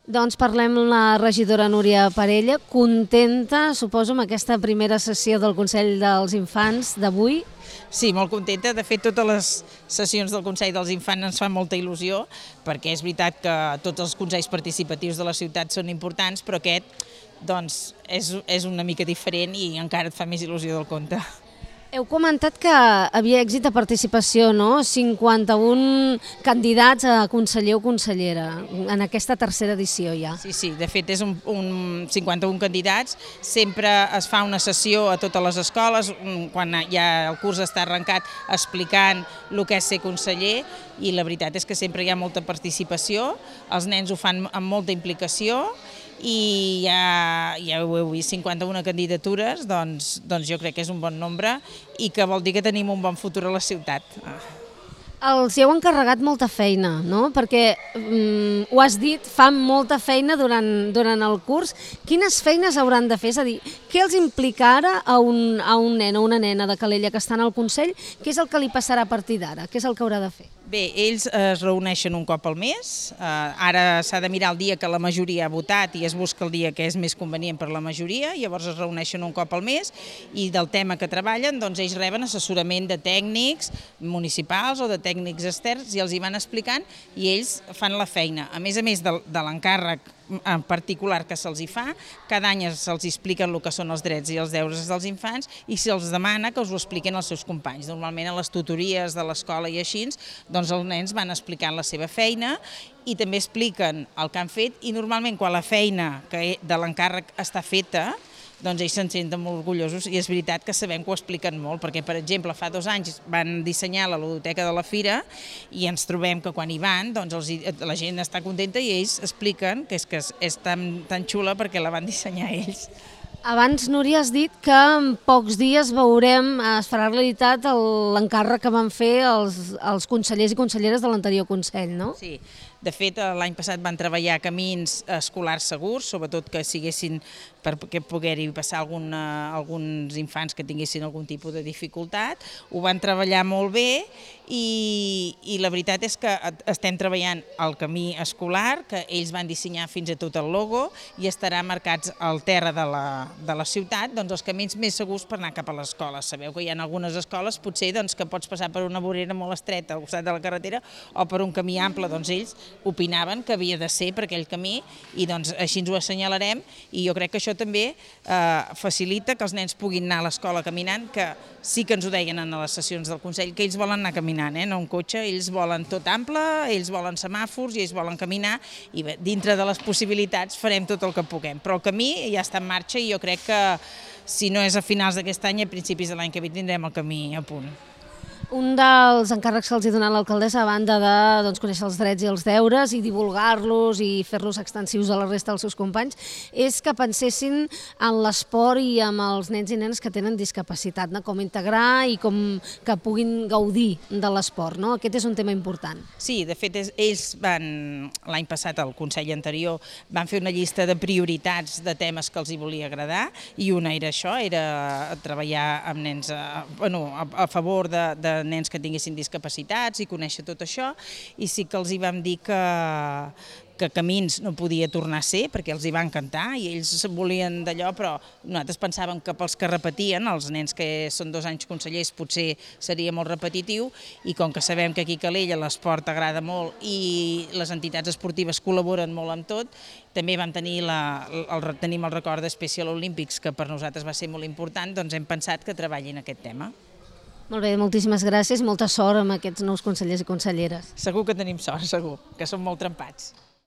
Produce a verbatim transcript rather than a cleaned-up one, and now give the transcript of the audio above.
Doncs parlem amb la regidora Núria Parella, contenta, suposo, amb aquesta primera sessió del Consell dels Infants d'avui. Sí, molt contenta. De fet, totes les sessions del Consell dels Infants ens fan molta il·lusió, perquè és veritat que tots els consells participatius de la ciutat són importants, però aquest doncs, és, és una mica diferent i encara et fa més il·lusió del compte. Heu comentat que havia èxit de participació, no? cinquanta-un candidats a conseller o consellera en aquesta tercera edició ja. Sí, sí, de fet és un, un cinquanta-un candidats, sempre es fa una sessió a totes les escoles, quan ja el curs està arrencat explicant el que és ser conseller, i la veritat és que sempre hi ha molta participació, els nens ho fan amb molta implicació, i ja, ja ho heu vist, cinquanta-una candidatures, doncs, doncs jo crec que és un bon nombre i que vol dir que tenim un bon futur a la ciutat. Els hi heu encarregat molta feina, no? Perquè, mm, ho has dit, fan molta feina durant, durant el curs. Quines feines hauran de fer? És a dir, què els implica ara a un, a un nen o una nena de Calella que estan al Consell? Què és el que li passarà a partir d'ara? Què és el que haurà de fer? Bé, ells es reuneixen un cop al mes, uh, ara s'ha de mirar el dia que la majoria ha votat i es busca el dia que és més convenient per la majoria, llavors es reuneixen un cop al mes i del tema que treballen doncs ells reben assessorament de tècnics municipals o de tècnics externs i els hi van explicant i ells fan la feina. A més a més de, de l'encàrrec en particular que se'ls hi fa, cada any se'ls expliquen el que són els drets i els deures dels infants i se'ls demana que us ho expliquen els seus companys. Normalment a les tutories de l'escola i així, doncs els nens van explicant la seva feina i també expliquen el que han fet i normalment quan la feina que de l'encàrrec està feta, doncs ells se'n senten molt orgullosos i és veritat que sabem que ho expliquen molt, perquè per exemple fa dos anys van dissenyar la ludoteca de la Fira i ens trobem que quan hi van doncs els, la gent està contenta i ells expliquen que és, que és tan, tan xula perquè la van dissenyar ells. Abans, Núria, has dit que en pocs dies veurem, es farà realitat l'encàrrec que van fer els, els consellers i conselleres de l'anterior Consell, no? Sí, de fet l'any passat van treballar camins escolars segurs, sobretot que siguessin perquè pogués-hi passar alguna, alguns infants que tinguessin algun tipus de dificultat, ho van treballar molt bé i, i la veritat és que estem treballant el camí escolar, que ells van dissenyar fins a tot el logo i estarà marcats al terra de la, de la ciutat, doncs els camins més segurs per anar cap a l'escola. Sabeu que hi ha algunes escoles potser doncs, que pots passar per una vorera molt estreta al costat de la carretera o per un camí ample, doncs ells opinaven que havia de ser per aquell camí i doncs així ens ho assenyalarem i jo crec que això també eh, facilita que els nens puguin anar a l'escola caminant, que sí que ens ho deien en les sessions del Consell, que ells volen anar caminant, eh, no un cotxe, ells volen tot ample, ells volen semàfors i ells volen caminar i bé, dintre de les possibilitats farem tot el que puguem, però el camí ja està en marxa i jo crec que si no és a finals d'aquest any, a principis de l'any que ve tindrem el camí a punt. Un dels encàrrecs que els ha donat l'alcaldessa, a banda de doncs, conèixer els drets i els deures i divulgar-los i fer-los extensius a la resta dels seus companys, és que pensessin en l'esport i amb els nens i nenes que tenen discapacitat, no? Com integrar i com que puguin gaudir de l'esport, no? Aquest és un tema important. Sí, de fet, ells van, l'any passat, al Consell anterior, van fer una llista de prioritats de temes que els hi volia agradar i una era això, era treballar amb nens a, bueno, a, a favor de, de nens que tinguessin discapacitats i conèixer tot això i sí que els hi vam dir que, que camins no podia tornar a ser perquè els hi va encantar i ells volien d'allò, però nosaltres pensàvem que pels que repetien, els nens que són dos anys consellers potser seria molt repetitiu i com que sabem que aquí a Calella l'esport agrada molt i les entitats esportives col·laboren molt amb tot, també vam tenir la, el, tenim el record de Special Olympics que per nosaltres va ser molt important, doncs hem pensat que treballin aquest tema. Molt bé, moltíssimes gràcies i molta sort amb aquests nous consellers i conselleres. Segur que tenim sort, segur, que són molt trempats.